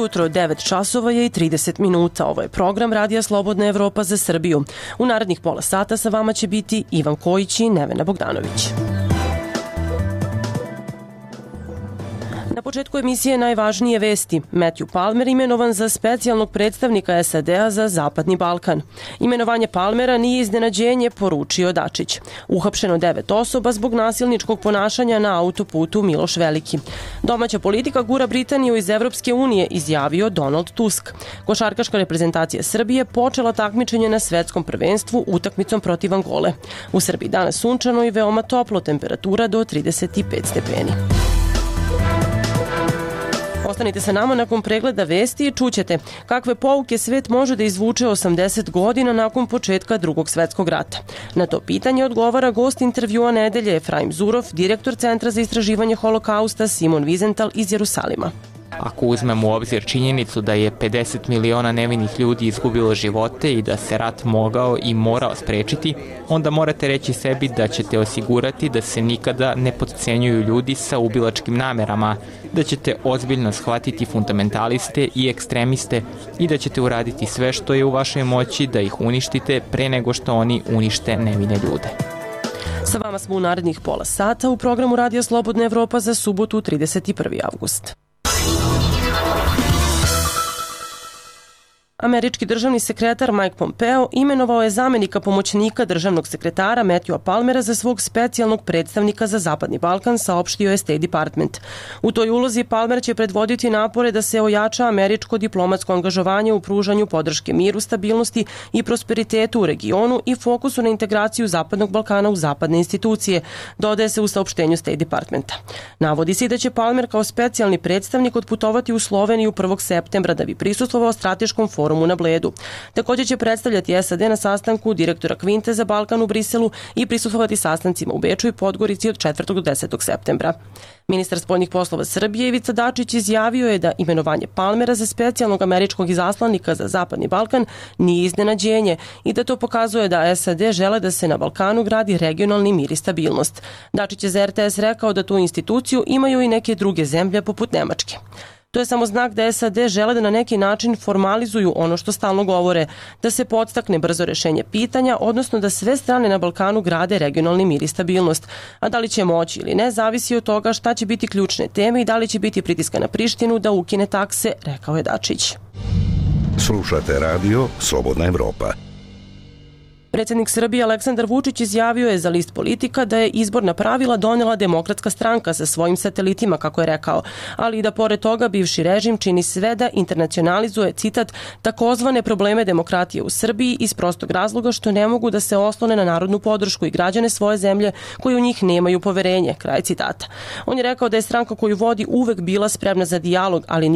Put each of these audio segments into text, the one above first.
jutro, 9 časova je i 30 minuta. Ovo je program Radija Slobodna Evropa za Srbiju. U narednih pola sata sa vama će biti Ivan Kojić i Nevena Bogdanović. Na početku emisije najvažnije vesti. Matthew Palmer imenovan za specijalnog predstavnika SAD-a za Zapadni Balkan. Imenovanje Palmera nije iznenađenje, poručio Dačić. Uhapšeno 9 osoba zbog nasilničkog ponašanja na autoputu Miloš Veliki. Domaća politika gura Britaniju iz Evropske unije, izjavio Donald Tusk. Košarkaška reprezentacija Srbije počela takmičenje na svetskom prvenstvu utakmicom protiv Angole. U Srbiji danas sunčano i veoma toplo, temperatura do 35 stepeni. Ostanite sa nama nakon pregleda vesti i čućete kakve pouke svet može da izvuče 80 godina nakon početka Drugog svetskog rata. Na to pitanje odgovara gost intervjua nedelje Efraim Zurov, direktor Centra za istraživanje holokausta Simon Wiesenthal iz Jerusalima. Ako uzmemo u obzir činjenicu da je 50 miliona nevinih ljudi izgubilo živote i da se rat mogao i morao sprečiti, onda morate reći sebi da ćete osigurati da se nikada ne potcenjuju ljudi sa ubilačkim namerama, da ćete ozbiljno shvatiti fundamentaliste i ekstremiste i da ćete uraditi sve što je u vašoj moći da ih uništite pre nego što oni unište nevine ljude. Sa vama smo u narednih pola sata u programu Radija Slobodna Evropa za subotu 31. avgust. Američki državni sekretar Mike Pompeo imenovao je zamenika pomoćnika državnog sekretara Matthewa Palmera za svog specijalnog predstavnika za Zapadni Balkan, saopštio je State Department. U toj ulozi Palmer će predvoditi napore da se ojača američko diplomatsko angažovanje u pružanju podrške miru, stabilnosti i prosperitetu u regionu i fokusu na integraciju Zapadnog Balkana u zapadne institucije, dodaje se u saopštenju State Departmenta. Navodi se da će Palmer kao specijalni predstavnik otputovati u Sloveniju 1. septembra da bi prisustvovao strateškom forumu na Bledu. Također će predstavljati SAD na sastanku direktora Kvinte za Balkan u Briselu i prisustvovati sastancima u Beču i Podgorici od 4. do 10. septembra. Ministar spoljnih poslova Srbije Ivica Dačić izjavio je da imenovanje Palmera za specijalnog američkog izaslanika za Zapadni Balkan nije iznenađenje i da to pokazuje da SAD žele da se na Balkanu gradi regionalni mir i stabilnost. Dačić je za RTS rekao da tu instituciju imaju i neke druge zemlje poput Nemačke. To je samo znak da SAD žele da na neki način formalizuju ono što stalno govore, da se podstakne brzo rešenje pitanja, odnosno da sve strane na Balkanu grade regionalni mir i stabilnost. A da li će moći ili ne, zavisi od toga šta će biti ključne teme i da li će biti pritiska na Prištinu da ukine takse, rekao je Dačić. Slušate radio Slobodna Evropa. Predsjednik Srbije Aleksandar Vučić izjavio je za list Politika da je izborna pravila donela Demokratska stranka sa svojim satelitima, kako je rekao, ali i da pored toga bivši režim čini sve da internacionalizuje, citat, takozvane probleme demokratije u Srbiji iz prostog razloga što ne mogu da se oslone na narodnu podršku i građane svoje zemlje koji u njih nemaju poverenje, kraj citata. On je rekao da je stranka koju vodi uvek bila spremna za dijalog, ali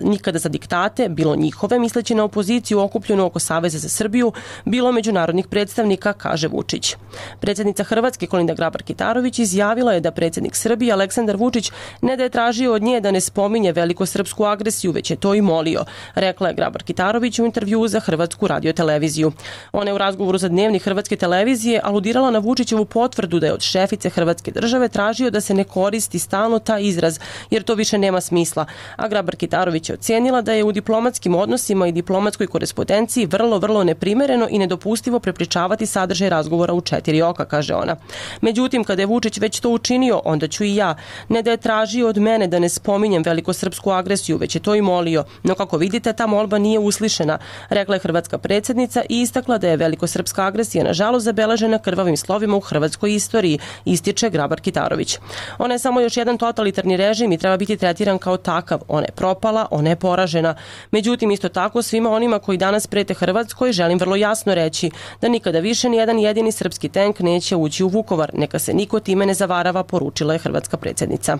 nikada za diktate, bilo njihove, misleći na opoziciju okupljenu oko Saveza za Srbiju, bilo međunarodnih predstavnika, kaže Vučić. Predsjednica Hrvatske Kolinda Grabar-Kitarović izjavila je da predsjednik Srbije Aleksandar Vučić ne da je tražio od nje da ne spominje velikosrpsku agresiju, već je to i molio, rekla je Grabar-Kitarović u intervjuu za Hrvatsku radioteleviziju. Ona je u razgovoru za Dnevnik Hrvatske televizije aludirala na Vučićevu potvrdu da je od šefice Hrvatske države tražio da se ne koristi stalno taj izraz, jer to više nema smisla. A Grabar-Kitarović je ocenila da je u diplomatskim odnosima i diplomatskoj korespondenciji vrlo neprimereno i nedopustivo prepričavati sadržaj razgovora u 4 oka, kaže ona. Međutim, kada je Vučić već to učinio, onda ću i ja. Ne da je tražio od mene da ne spominjem velikosrpsku agresiju, već je to i molio. No kako vidite, ta molba nije uslišena, rekla je hrvatska predsjednica i istakla da je velikosrpska agresija nažalost zabeležena krvavim slovima u hrvatskoj istoriji, ističe Grabar-Kitarović. Ona je samo još jedan totalitarni režim i treba biti tretiran kao takav. Ona je propala, ona je poražena. Međutim, isto tako svima onima koji danas prete Hrvatskoj želim vrlo jasno reći da nikada više ni jedan jedini srpski tank neće ući u Vukovar. Neka se niko time ne zavarava, poručila je hrvatska predsjednica.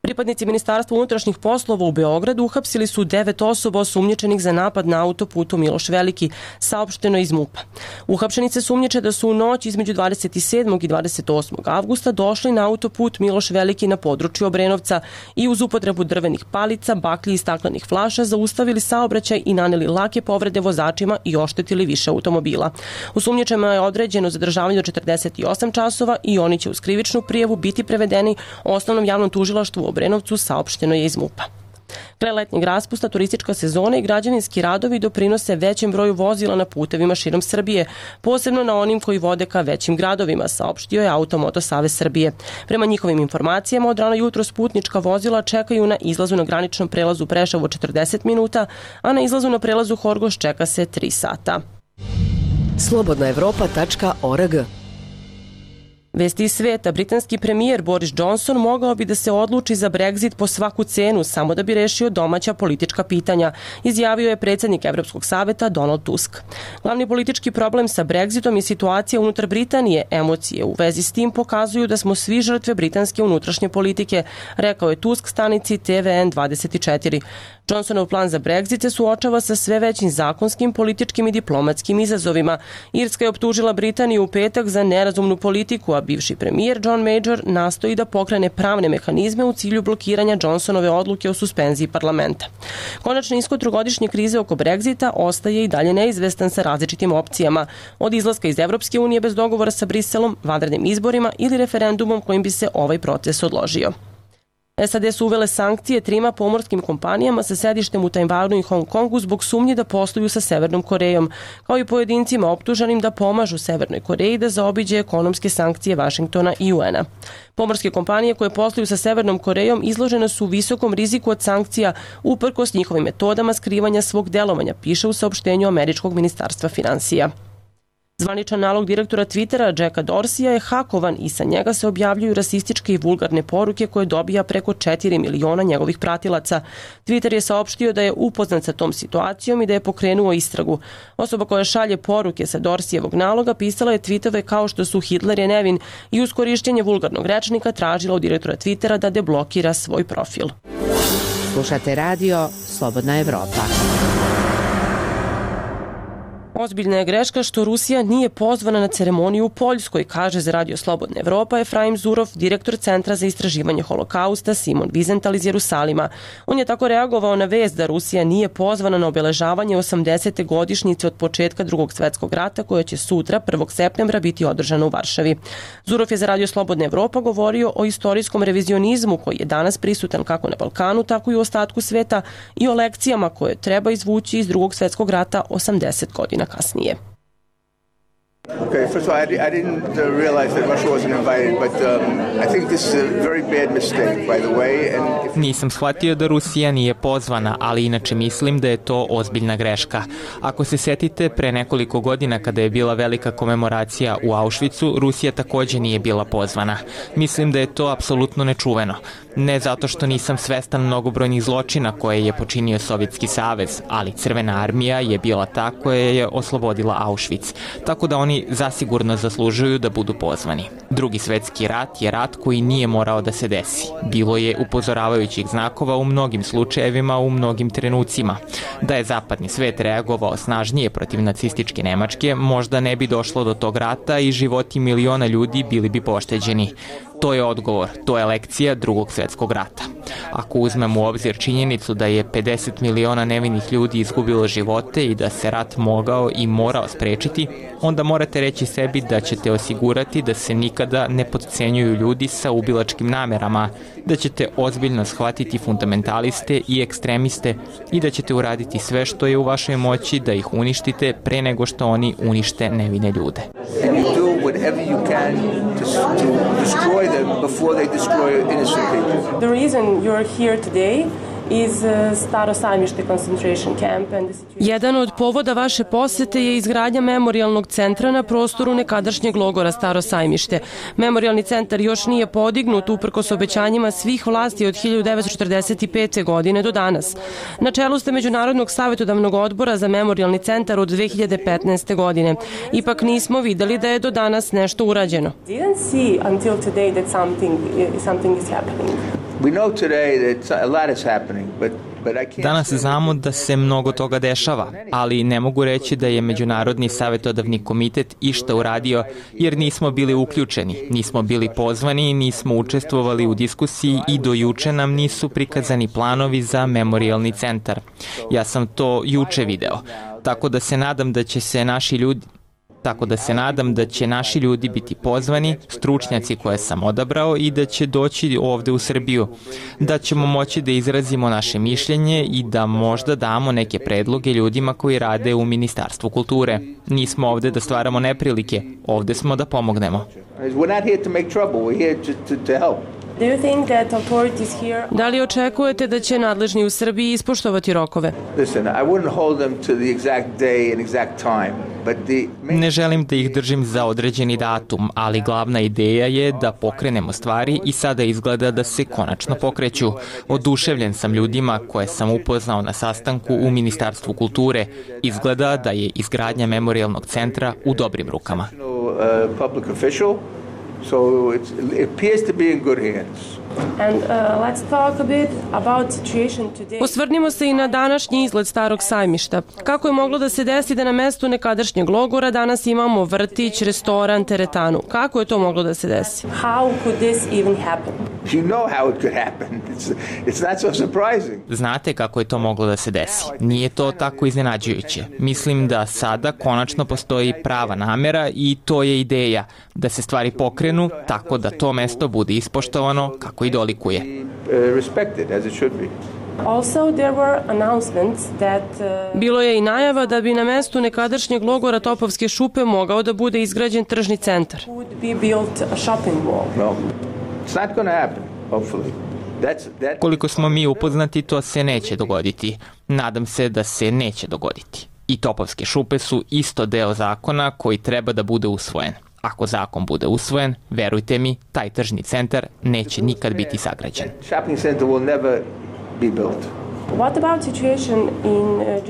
Pripadnici Ministarstva unutrašnjih poslova u Beogradu uhapsili su 9 osoba osumnjičenih za napad na autoputu Miloš Veliki, saopšteno iz MUP-a. Uhapšenice sumnjiče da su u noć između 27. i 28. avgusta došli na autoput Miloš Veliki na području Obrenovca i uz upotrebu drvenih palica, baklji i staklenih flaša zaustavili saobraćaj i naneli lake povrede vozačima i oštetili više automobila. Osumnjičenima je određeno zadržavanje do 48 časova i oni će uz krivičnu prijavu biti prevedeni Osnovnom javnom tužilaštvu u Obrenovcu, saopšteno je iz MUP-a. Kraj letnjeg raspusta, turistička sezona i građevinski radovi doprinose većem broju vozila na putevima širom Srbije, posebno na onim koji vode ka većim gradovima, saopštio je Automoto Savez Srbije. Prema njihovim informacijama, od rano jutros putnička vozila čekaju na izlazu na graničnom prelazu Preševo 40 minuta, a na izlazu na prelazu Horgoš čeka se 3 sata. Slobodnaevropa.org. Vesti iz sveta, britanski premijer Boris Johnson mogao bi da se odluči za Brexit po svaku cenu samo da bi rešio domaća politička pitanja, izjavio je predsjednik Evropskog saveta Donald Tusk. Glavni politički problem sa Brexitom je situacija unutar Britanije. Emocije u vezi s tim pokazuju da smo svi žrtve britanske unutrašnje politike, rekao je Tusk stanici TVN 24. Johnsonov plan za Brexit se suočava sa sve većim zakonskim, političkim i diplomatskim izazovima. Irska je optužila Britaniju u petak za nerazumnu politiku, a bivši premijer John Major nastoji da pokrene pravne mehanizme u cilju blokiranja Johnsonove odluke o suspenziji parlamenta. Konačni ishod trogodišnje krize oko Brexita ostaje i dalje neizvestan sa različitim opcijama, od izlaska iz Evropske unije bez dogovora sa Briselom, vanrednim izborima ili referendumom kojim bi se ovaj proces odložio. SAD su uvele sankcije 3 pomorskim kompanijama sa sedištem u Tajvanu i Hong Kongu zbog sumnji da posluju sa Severnom Korejom, kao i pojedincima optuženim da pomažu Severnoj Koreji da zaobiđe ekonomske sankcije Vašingtona i UN-a. Pomorske kompanije koje posluju sa Severnom Korejom izložene su visokom riziku od sankcija uprkos njihovim metodama skrivanja svog delovanja, piše u saopštenju američkog ministarstva finansija. Zvaničan nalog direktora Twittera Jacka Dorseya je hakovan i sa njega se objavljuju rasističke i vulgarne poruke koje dobija preko 4 miliona njegovih pratilaca. Twitter je saopštio da je upoznat sa tom situacijom i da je pokrenuo istragu. Osoba koja šalje poruke sa Dorseyevog naloga pisala je tweetove kao što su Hitler je nevin i uz korišćenje vulgarnog rečnika tražila od direktora Twittera da deblokira svoj profil. Slušate radio Slobodna Evropa. Ozbiljna je greška što Rusija nije pozvana na ceremoniju u Poljskoj, kaže za radio Slobodna Evropa Efraim Zurov, direktor Centra za istraživanje holokausta Simon Wiesenthal iz Jerusalima. On je tako reagovao na vest da Rusija nije pozvana na obeležavanje 80. godišnjice od početka Drugog svetskog rata, koja će sutra, 1. septembra, biti održana u Varšavi. Zurov je za radio Slobodna Evropa govorio o istorijskom revizionizmu koji je danas prisutan kako na Balkanu, tako i u ostatku sveta i o lekcijama koje treba izvući iz Drugog svetskog rata 80 godina kasnije. Okay, first of all, I didn't realize that Russia wasn't invited, but I think this is a very bad mistake, by the way. Nisam shvatio da Rusija nije pozvana, ali inače mislim da je to ozbiljna greška. Ako se setite, pre nekoliko godina kada je bila velika komemoracija u Auschwitzu, Rusija takođe nije bila pozvana. Mislim da je to apsolutno nečuveno. Ne zato što nisam svestan mnogobrojnih zločina koje je počinio Sovjetski savez, ali Crvena armija je bila ta koja je oslobodila Auschwitz, tako da oni zasigurno zaslužuju da budu pozvani. Drugi svetski rat je rat koji nije morao da se desi. Bilo je upozoravajućih znakova u mnogim slučajevima, u mnogim trenucima. Da je zapadni svet reagovao snažnije protiv nacističke Nemačke, možda ne bi došlo do tog rata i životi miliona ljudi bili bi pošteđeni. To je odgovor, to je lekcija Drugog svetskog rata. Ako uzmemo u obzir činjenicu da je 50 miliona nevinih ljudi izgubilo živote i da se rat mogao i morao sprečiti, onda morate reći sebi da ćete osigurati da se nikada ne potcenjuju ljudi sa ubilačkim namerama, da ćete ozbiljno shvatiti fundamentaliste i ekstremiste i da ćete uraditi sve što je u vašoj moći da ih uništite pre nego što oni unište nevine ljude. The reason you're here today is Staro Sajmište concentration camp and the situation. Jedan od povoda vaše posete je izgradnja memorijalnog centra na prostoru nekadašnjeg logora Staro Sajmište. Memorijalni centar još nije podignut uprkos obećanjima svih vlasti od 1945. godine do danas. Na čelu ste Međunarodnog savjetodavnog odbora za memorijalni centar od 2015. godine. Ipak nismo videli da je do danas nešto urađeno. Didn't see until today that something is happening. We know today that a lot is happening, but Danas znamo da se mnogo toga dešava, ali ne mogu reći da je Međunarodni savjetodavni komitet išta uradio jer nismo bili uključeni, nismo bili pozvani, nismo učestvovali u diskusiji i do juče nam nisu prikazani planovi za memorijalni centar. Ja sam to juče video, tako da se nadam da će se naši ljudi Tako da se nadam da će naši ljudi biti pozvani, stručnjaci koje sam odabrao i da će doći ovde u Srbiju. Da ćemo moći da izrazimo naše mišljenje i da možda damo neke predloge ljudima koji rade u Ministarstvu kulture. Nismo ovde da stvaramo neprilike, ovde smo da pomognemo. Da li očekujete da će nadležni u Srbiji ispoštovati rokove? Ne želim da ih držim za određeni datum, ali glavna ideja je da pokrenemo stvari i sada izgleda da se konačno pokreću. Oduševljen sam ljudima koje sam upoznao na sastanku u Ministarstvu kulture. Izgleda da je izgradnja memorijalnog centra u dobrim rukama. So it appears to be in good hands. And let's talk a bit about situation today. Osvrnimo se i na današnji izgled Starog sajmišta. Kako je moglo da se desi da na mestu nekadašnjeg logora danas imamo vrtić, restoran, teretanu? Kako je to moglo da se desi? How could this even happen? You know how it could happen. It's not so surprising. Znate kako je to moglo da se desi. Nije to tako iznenađujuće. Mislim da sada konačno postoji prava namera i to je ideja da se stvari pokrenu tako da to mesto bude ispoštovano kako i dolikuje. Bilo je i najava da bi na mestu nekadašnjeg logora Topovske šupe mogao da bude izgrađen tržni centar. Koliko smo mi upoznati, to se neće dogoditi. Nadam se da se neće dogoditi. I Topovske šupe su isto deo zakona koji treba da bude usvojen. Ako zakon bude usvojen, verujte mi, taj tržni centar neće nikad biti sagrađen.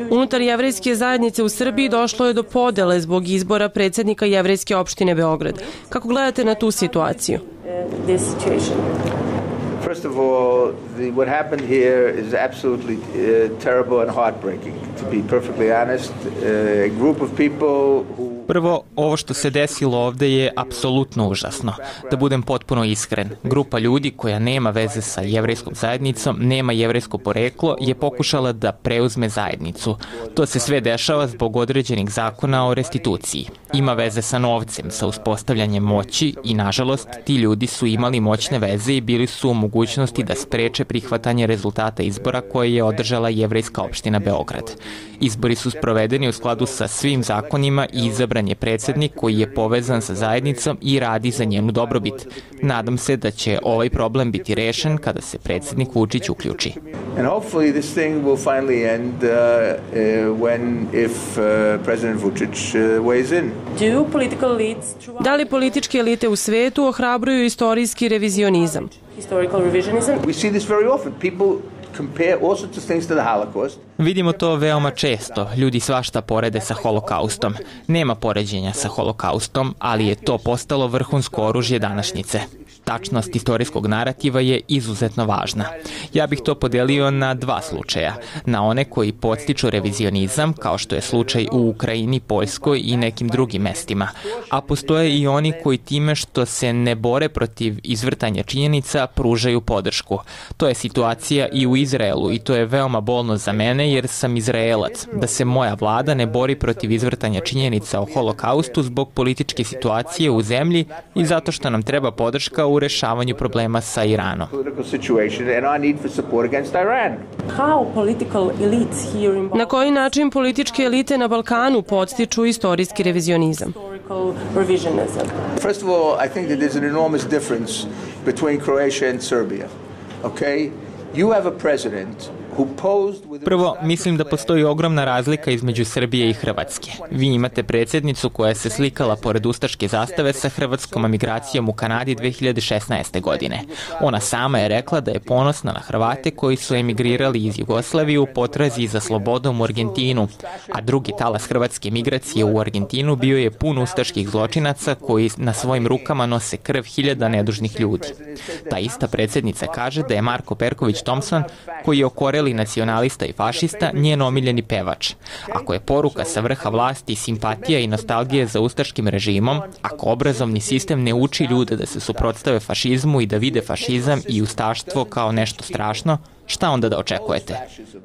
Unutar jevrejske zajednice u Srbiji došlo je do podele zbog izbora predsjednika jevrejske opštine Beograd. Kako gledate na tu situaciju? First of all, what happened here is absolutely terrible and heartbreaking. To be perfectly honest, a group of people who... Prvo, ovo što se desilo ovde je apsolutno užasno. Da budem potpuno iskren, grupa ljudi koja nema veze sa jevrejskom zajednicom, nema jevrejsko poreklo, je pokušala da preuzme zajednicu. To se sve dešava zbog određenih zakona o restituciji. Ima veze sa novcem, sa uspostavljanjem moći i, nažalost, ti ljudi su imali moćne veze i bili su u mogućnosti da spreče prihvatanje rezultata izbora koje je održala jevrejska opština Beograd. Izbori su sprovedeni u skladu sa svim zakonima i izabran je predsjednik koji je povezan sa zajednicom i radi za njenu dobrobit. Nadam se da će ovaj problem biti rešen kada se predsjednik Vučić uključi. Da li političke elite u svetu ohrabruju istorijski revizionizam? We see this very often. People compare all sorts of things to the Holocaust. Vidimo to veoma često. Ljudi svašta porede sa holokaustom. Nema poređenja sa holokaustom, ali je to postalo vrhunsko oružje današnjice. Tačnost istorijskog narativa je izuzetno važna. Ja bih to podelio na dva slučaja. Na one koji podstiču revizionizam, kao što je slučaj u Ukrajini, Poljskoj i nekim drugim mestima. A postoje i oni koji time što se ne bore protiv izvrtanja činjenica pružaju podršku. To je situacija i u Izraelu i to je veoma bolno za mene jer sam Izraelac. Da se moja vlada ne bori protiv izvrtanja činjenica o holokaustu zbog političke situacije u zemlji i zato što nam treba podrška u rešavanju problema sa Iranom. Na koji način političke elite na Balkanu podstiču istorijski revizionizam? First of all, I think that there's an enormous difference between Croatia and Serbia. Okay? You have a president. Prvo, mislim da postoji ogromna razlika između Srbije i Hrvatske. Vi imate predsjednicu koja se slikala pored ustaške zastave sa hrvatskom emigracijom u Kanadi 2016. godine. Ona sama je rekla da je ponosna na Hrvate koji su emigrirali iz Jugoslavije u potrazi za slobodom u Argentinu, a drugi talas hrvatske migracije u Argentinu bio je pun ustaških zločinaca koji na svojim rukama nose krv hiljada nedužnih ljudi. Ta ista predsjednica kaže da je Marko Perković Thompson, koji je okoreli nacionalista i fašista, njen omiljeni pevač. Ako je poruka sa vrha vlasti simpatija i nostalgije za ustaškim režimom, ako obrazovni sistem ne uči ljude da se suprotstave fašizmu i da vide fašizam i ustaštvo kao nešto strašno, Šta onda da očekujete?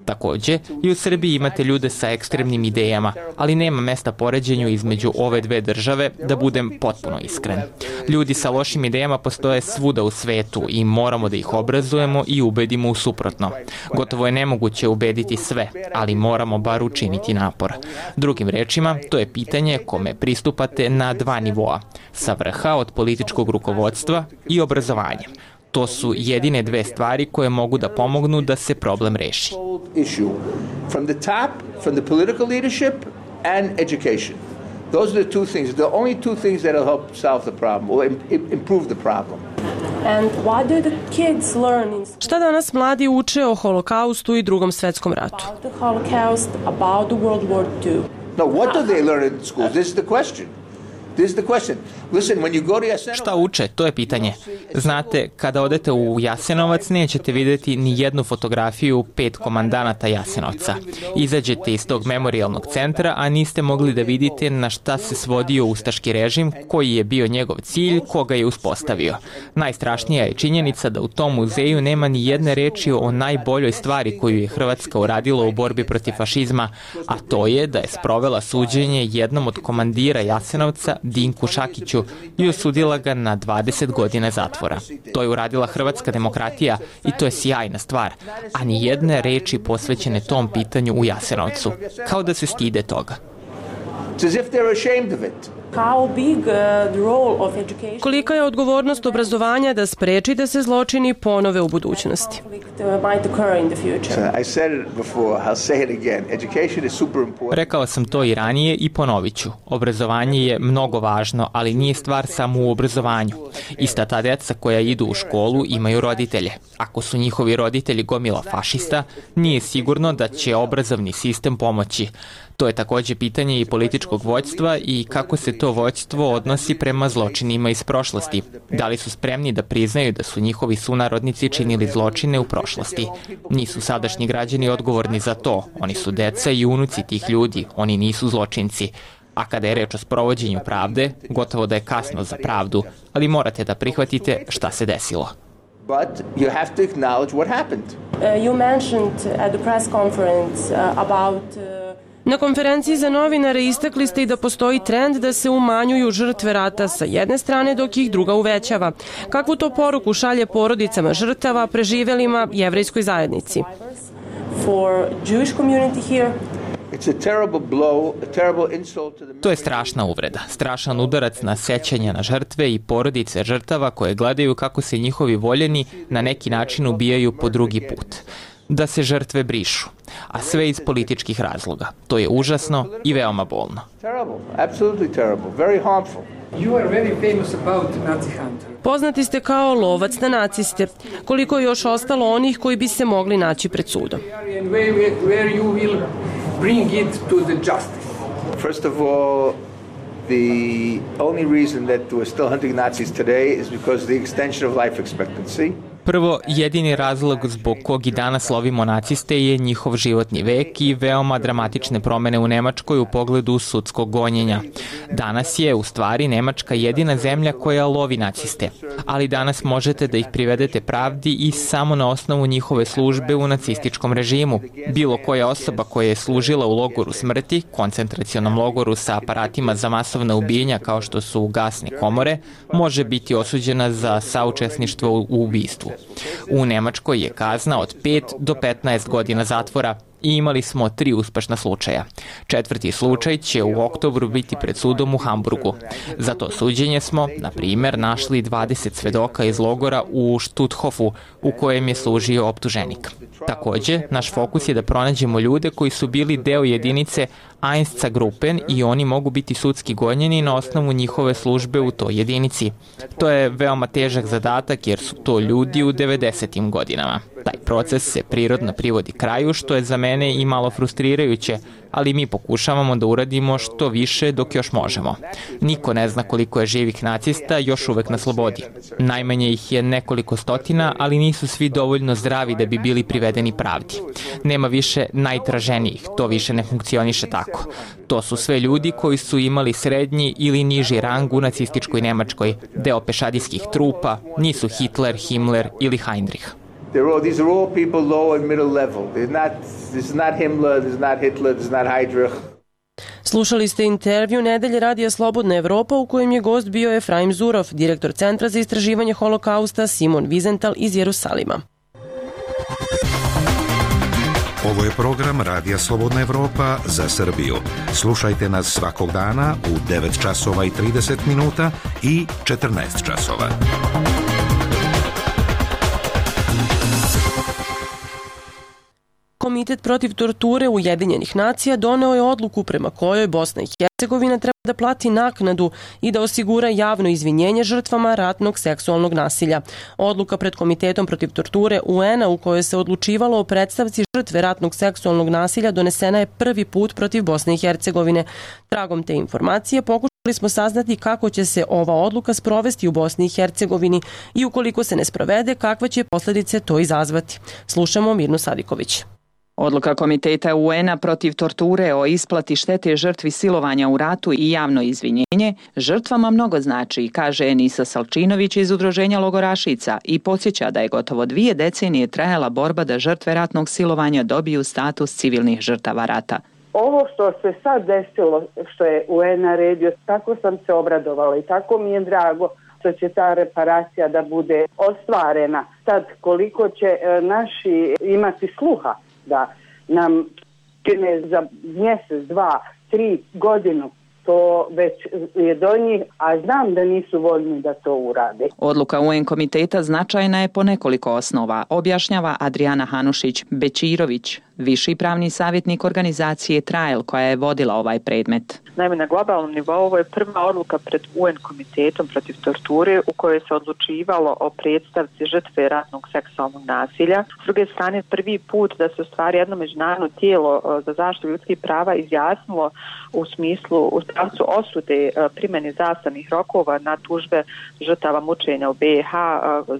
Takođe, i u Srbiji imate ljude sa ekstremnim idejama, ali nema mesta poređenju između ove dve države, da budem potpuno iskren. Ljudi sa lošim idejama postoje svuda u svetu i moramo da ih obrazujemo i ubedimo u suprotno. Gotovo je nemoguće ubediti sve, ali moramo bar učiniti napor. Drugim rečima, to je pitanje kome pristupate na dva nivoa, sa vrha od političkog rukovodstva i obrazovanja. To su jedine dve stvari koje mogu da pomognu da se problem reši. From the top, from the political leadership and education. Those are the two things, the only two things that will help solve the problem, or improve the problem. And what do the kids learn in school? Šta danas mladi uče o Holokaustu i Drugom svetskom ratu? About the Holocaust, about the World War II. No, what do they learn in schools? This is the question. This is the question. Listen, when you go to Jasenovac... Šta uče? To je pitanje. Znate, kada odete u Jasenovac, nećete videti ni jednu fotografiju 5 komandanata Jasenovca. Izađete iz tog memorijalnog centra, a niste mogli da vidite na šta se svodio ustaški režim, koji je bio njegov cilj, koga je uspostavio. Najstrašnija je činjenica da u tom muzeju nema ni jedne reči o najboljoj stvari koju je Hrvatska uradila u borbi protiv fašizma, a to je da je sprovela suđenje jednom od komandira Jasenovca, Dinku Šakiću, i osudila ga na 20 godina zatvora. To je uradila hrvatska demokratija i to je sjajna stvar, a ni jedne reči posvećene tom pitanju u Jasenovcu. Kao da se stide toga. Kolika je odgovornost obrazovanja da spreči da se zločini ponove u budućnosti? Rekao sam to i ranije i ponovit ću. Obrazovanje je mnogo važno, ali nije stvar samo u obrazovanju. Ista ta deca koja idu u školu imaju roditelje. Ako su njihovi roditelji gomila fašista, nije sigurno da će obrazovni sistem pomoći. To je takođe pitanje i političkog vođstva i kako se to vođstvo odnosi prema zločinima iz prošlosti. Da li su spremni da priznaju da su njihovi sunarodnici činili zločine u prošlosti? Nisu sadašnji građani odgovorni za to. Oni su deca i unuci tih ljudi. Oni nisu zločinci. A kada je reč o sprovođenju pravde, gotovo da je kasno za pravdu, ali morate da prihvatite šta se desilo. But you have to acknowledge what happened. You mentioned at the press conference about... Na konferenciji za novinare istakli ste i da postoji trend da se umanjuju žrtve rata sa jedne strane dok ih druga uvećava. Kakvu to poruku šalje porodicama žrtava, preživelima, jevrejskoj zajednici? For Jewish community here. To je strašna uvreda, strašan udarac na sećanja na žrtve i porodice žrtava koje gledaju kako se njihovi voljeni na neki način ubijaju po drugi put. Da se žrtve brišu, a sve iz političkih razloga. To je užasno i veoma bolno. Poznati ste kao lovac na naciste. Koliko je još ostalo onih koji bi se mogli naći pred sudom? First of all, the only reason that we're still hunting Nazis today is because of the extension of life expectancy. Prvo, jedini razlog zbog kog i danas lovimo naciste je njihov životni vek i veoma dramatične promene u Nemačkoj u pogledu sudskog gonjenja. Danas je, u stvari, Nemačka jedina zemlja koja lovi naciste, ali danas možete da ih privedete pravdi i samo na osnovu njihove službe u nacističkom režimu. Bilo koja osoba koja je služila u logoru smrti, koncentracionom logoru sa aparatima za masovna ubijenja kao što su gasne komore, može biti osuđena za saučesništvo u ubistvu. U Nemačkoj je kazna od 5 do 15 godina zatvora i imali smo 3 uspešna slučaja. 4. slučaj će u oktobru biti pred sudom u Hamburgu. Za to suđenje smo, na primer, našli 20 svedoka iz logora u Stutthofu u kojem je služio optuženik. Takođe, naš fokus je da pronađemo ljude koji su bili deo jedinice Einsatzgruppen i oni mogu biti sudski gonjeni na osnovu njihove službe u toj jedinici. To je veoma težak zadatak jer su to ljudi u 90. godinama. Taj proces se prirodno privodi kraju, što je za mene i malo frustrirajuće, ali mi pokušavamo da uradimo što više dok još možemo. Niko ne zna koliko je živih nacista još uvek na slobodi. Najmanje ih je nekoliko stotina, ali nisu svi dovoljno zdravi da bi bili privedeni pravdi. Nema više najtraženijih, to više ne funkcioniše tako. To su sve ljudi koji su imali srednji ili niži rang u nacističkoj Nemačkoj, deo pešadijskih trupa, nisu Hitler, Himmler ili Heinrich. These are all people low and middle level. This is not Himmler, this is not Hitler, this is not Heydrich. Slušali ste intervju Nedelje radija Slobodna Evropa u kojem je gost bio Efraim Zurov, direktor Centra za istraživanje holokausta Simon Wiesenthal iz Jerusalima. Ovo je program Radija Slobodna Evropa za Srbiju. Slušajte nas svakog dana u 9 časova i 30 minuta i 14 časova. Komitet protiv torture Ujedinjenih nacija doneo je odluku prema kojoj Bosna i Hercegovina treba da plati naknadu i da osigura javno izvinjenje žrtvama ratnog seksualnog nasilja. Odluka pred Komitetom protiv torture UN-a u kojoj se odlučivalo o predstavci žrtve ratnog seksualnog nasilja donesena je prvi put protiv Bosne i Hercegovine. Tragom te informacije pokušali smo saznati kako će se ova odluka sprovesti u Bosni i Hercegovini i ukoliko se ne sprovede, kakve će posljedice to izazvati. Slušamo Mirnu Sadiković. Odluka Komiteta UN-a protiv torture o isplati štete žrtvi silovanja u ratu i javno izvinjenje žrtvama mnogo znači, kaže Enisa Salčinović iz Udruženja logorašica i podsjeća da je gotovo 2 decenije trajala borba da žrtve ratnog silovanja dobiju status civilnih žrtava rata. Ovo što se sad desilo, što je UN naredio, tako sam se obradovala i tako mi je drago što će ta reparacija da bude ostvarena. Sad koliko će naši imati sluha da nam čine za mjesec, 2, 3 godinu, to već je do njih, a znam da nisu voljni da to urade. Odluka UN komiteta značajna je po nekoliko osnova, objašnjava Adriana Hanušić-Bečirović, viši pravni savjetnik organizacije Trial koja je vodila ovaj predmet. Naime, na globalnom nivou ovo je prva odluka pred UN komitetom protiv torture u kojoj se odlučivalo o predstavci žrtve ratnog seksualnog nasilja. S druge strane, prvi put da se u stvari jedno međunarodno tijelo za zaštitu ljudskih prava izjasnilo u smislu u pravcu osude primjene zastarnih rokova na tužbe žrtava mučenja u BiH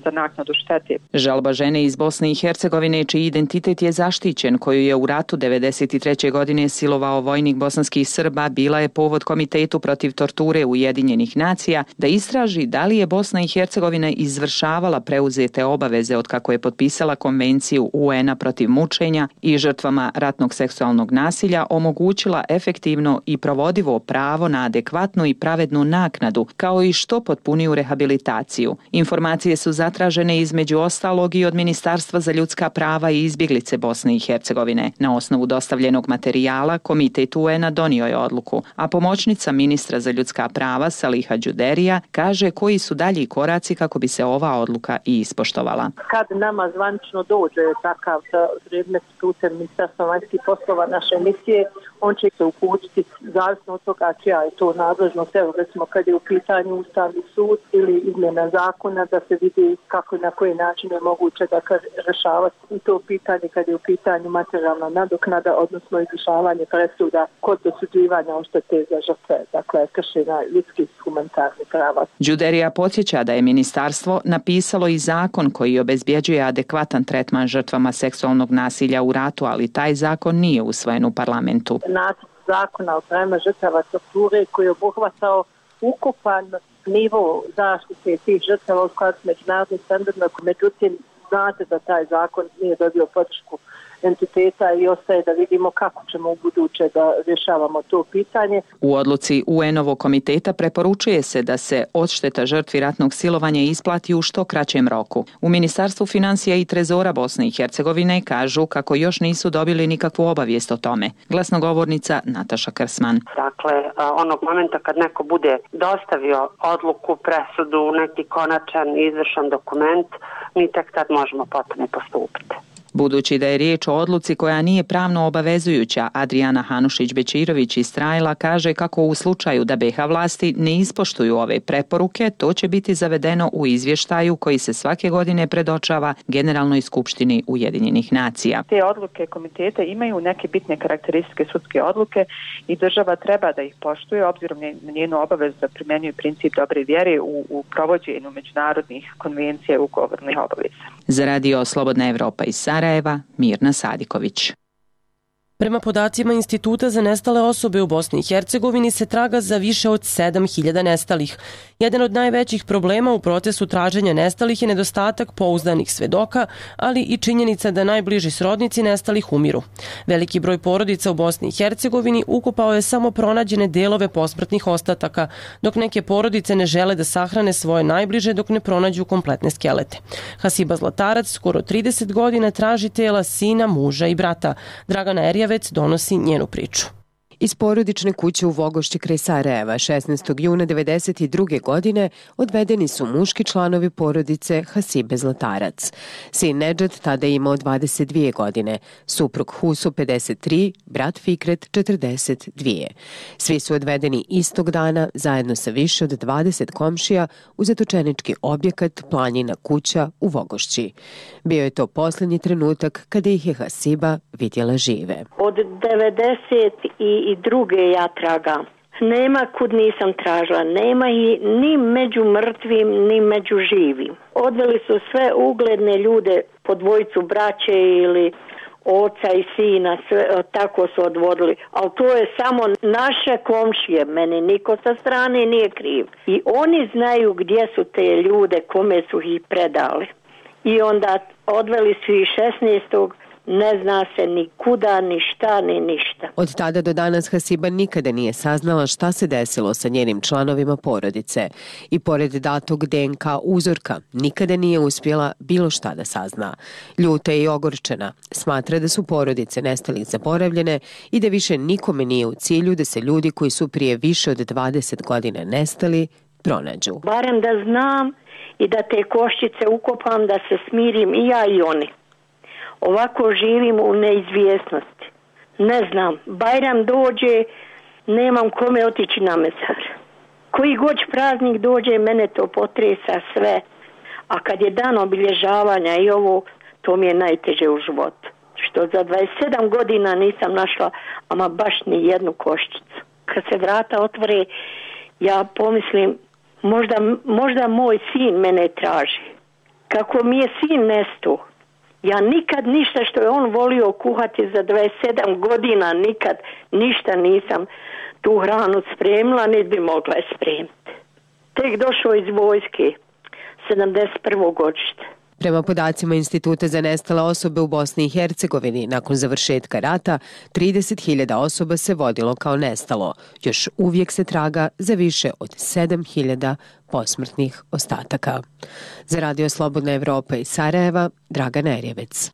za naknadu štete. Žalba žene iz Bosne i Hercegovine čiji identitet je zaštićen, koju je u ratu 1993. godine silovao vojnik bosanskih Srba, bila je povod Komitetu protiv torture Ujedinjenih nacija da istraži da li je Bosna i Hercegovina izvršavala preuzete obaveze od kako je potpisala konvenciju UN-a protiv mučenja i žrtvama ratnog seksualnog nasilja omogućila efektivno i provodivo pravo na adekvatnu i pravednu naknadu, kao i što potpuniju rehabilitaciju. Informacije su zatražene između ostalog i od Ministarstva za ljudska prava i izbjeglice Bosne i Hercegovine. Na osnovu dostavljenog materijala Komitet UN-a donio je odluku, a pomoćnica ministra za ljudska prava Saliha Đuderija kaže koji su dalji koraci kako bi se ova odluka i ispoštovala. Kad nama zvanično dođe takav predmet putem Ministarstva vanjskih poslova naše misije, on će se uputiti zavisno od toga čija je to nadležnost. Evo recimo kad je u pitanju Ustavni sud ili izmjena zakona da se vidi kako i na koji način je moguće da rješavati i to pitanje kad je u pitanju materijalna nadoknada, odnosno izvršavanje presuda kod dosuđivanja odštete za žrtve, dakle kršenja ljudskih humanitarnih prava. Đuderija podsjeća da je ministarstvo napisalo i zakon koji obezbjeđuje adekvatan tretman žrtvama seksualnog nasilja u ratu, ali taj zakon nije usvojen u parlamentu. Nacrt zakona o pravima žrtava torture koji je obuhvatao ukupan nivo zaštite tih žrtava u skladu s međunarodnim standardima, međutim znate da taj zakon nije dobio podršku entiteta i ostaje da vidimo kako ćemo u buduće da rješavamo to pitanje. U odluci UN-ovog komiteta preporučuje se da se odšteta žrtvi ratnog silovanja isplati u što kraćem roku. U Ministarstvu financija i trezora Bosne i Hercegovine kažu kako još nisu dobili nikakvu obavijest o tome. Glasnogovornica Nataša Krsman. Dakle, onog momenta kad neko bude dostavio odluku, presudu, neki konačan izvršan dokument, mi tek tad možemo potom postupiti. Budući da je riječ o odluci koja nije pravno obavezujuća, Adriana Hanušić-Bečirović iz Trajla kaže kako u slučaju da BiH vlasti ne ispoštuju ove preporuke, to će biti zavedeno u izvještaju koji se svake godine predočava Generalnoj skupštini Ujedinjenih nacija. Te odluke komiteta imaju neke bitne karakteristike sudske odluke i država treba da ih poštuje obzirom na njenu obavezu da primjenjuje princip dobre vjere u provođenju međunarodnih konvencija i ugovornih obaveza. Za Radio Slobodna Evropa iz Sarajeva, Mirna Sadiković. Prema podacima Instituta za nestale osobe u Bosni i Hercegovini se traga za više od 7.000 nestalih. Jedan od najvećih problema u procesu traženja nestalih je nedostatak pouzdanih svedoka, ali i činjenica da najbliži srodnici nestalih umiru. Veliki broj porodica u Bosni i Hercegovini ukopao je samo pronađene delove posmrtnih ostataka, dok neke porodice ne žele da sahrane svoje najbliže dok ne pronađu kompletne skelete. Hasiba Zlatarac skoro 30 godina traži tela sina, muža i brata. Dragana Erjavec donosi njenu priču. Iz porodične kuće u Vogošći kraj Sarajeva 16. juna 1992. godine odvedeni su muški članovi porodice Hasibe Zlatarac. Sin Nedžad tada je imao 22 godine, suprug Huso 53, brat Fikret 42. Svi su odvedeni istog dana zajedno sa više od 20 komšija u zatočenički objekat Planjina kuća u Vogošći. Bio je to posljednji trenutak kada ih je Hasiba vidjela žive. Od 92. ja tragam. Nema kud nisam tražila, nema i ni među mrtvim, ni među živim. Odveli su sve ugledne ljude, po dvojicu braće ili oca i sina, sve, tako su odvodili. Ali to je samo naše komšije, meni niko sa strane nije kriv. I oni znaju gdje su te ljude, kome su ih predali. I onda odveli su ih 16. Ne zna se ni kuda, ni šta, ni ništa. Od tada do danas Hasiba nikada nije saznala šta se desilo sa njenim članovima porodice. I pored datog DNK uzorka, nikada nije uspjela bilo šta da sazna. Ljuta je i ogorčena. Smatra da su porodice nestalih zaboravljene i da više nikome nije u cilju da se ljudi koji su prije više od 20 godina nestali pronađu. Barem da znam i da te koščice ukopam, da se smirim i ja i oni. Ovako živim u neizvjesnosti. Ne znam, Bajram dođe, nemam kome otići na mezar. Koji god praznik dođe, mene to potresa sve. A kad je dan obilježavanja i ovo, to mi je najteže u životu. Što za 27 godina nisam našla ama baš ni jednu koščicu. Kad se vrata otvore, ja pomislim, možda moj sin mene traži. Kako mi je sin nestao. Ja nikad ništa što je on volio kuhati za 27 godina, nikad ništa nisam tu hranu spremila, niti bi mogla je spremiti. Tek došao iz vojske, 71. godište. Prema podacima Instituta za nestale osobe u Bosni i Hercegovini, nakon završetka rata, 30.000 osoba se vodilo kao nestalo. Još uvijek se traga za više od 7.000 posmrtnih ostataka. Za Radio Slobodna Evropa iz Sarajeva, Dragana Erjavec.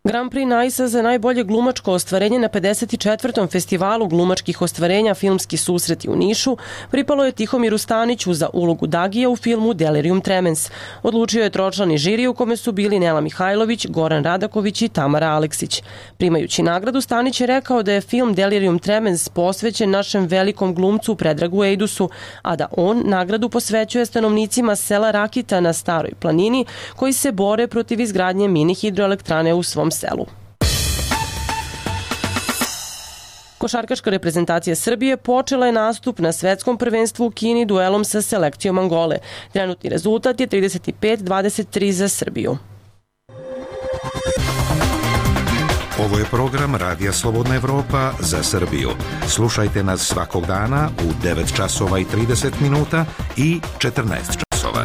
Grand Prix Nice za najbolje glumačko ostvarenje na 54. festivalu glumačkih ostvarenja Filmski susreti u Nišu pripalo je Tihomiru Staniću za ulogu Dagija u filmu Delirium Tremens. Odlučio je tročlani žiri u kome su bili Nela Mihajlović, Goran Radaković i Tamara Aleksić. Primajući nagradu, Stanić je rekao da je film Delirium Tremens posvećen našem velikom glumcu Predragu Ejdusu, a da on nagradu posvećuje stanovnicima sela Rakita na Staroj planini koji se bore protiv izgradnje mini hidroelektrane u svom selu. Košarkaška reprezentacija Srbije počela je nastup na svetskom prvenstvu u Kini duelom sa selekcijom Angole. Trenutni rezultat je 35-23 za Srbiju. Ovo je program Radija Slobodna Evropa za Srbiju. Slušajte nas svakog dana u 9 časova i 30 minuta i 14 časova.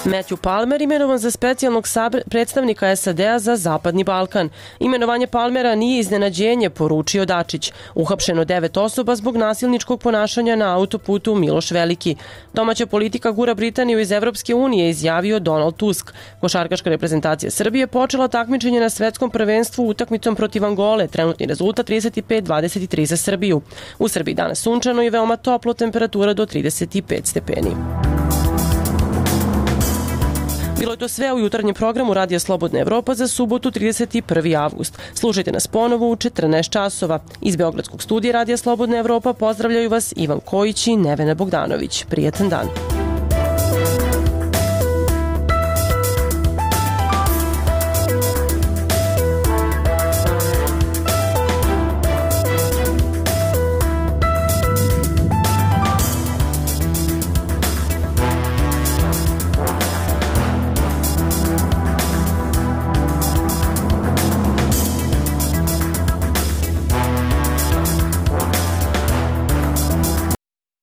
Matthew Palmer imenovan za specijalnog predstavnika SAD-a za Zapadni Balkan. Imenovanje Palmera nije iznenađenje, poručio Dačić. Uhapšeno 9 osoba zbog nasilničkog ponašanja na autoputu Miloš Veliki. Domaća politika gura Britaniju iz Evropske unije, izjavio Donald Tusk. Košarkaška reprezentacija Srbije počela takmičenje na svetskom prvenstvu utakmicom protiv Angole. Trenutni rezultat 35-23 za Srbiju. U Srbiji danas sunčano i veoma toplo, temperatura do 35 stepeni. Bilo je to sve u jutarnjem programu Radija Slobodna Evropa za subotu 31. avgust. Slušajte nas ponovo u 14 časova. Iz Beogradskog studija Radija Slobodna Evropa pozdravljaju vas Ivan Kojić i Nevena Bogdanović. Prijetan dan.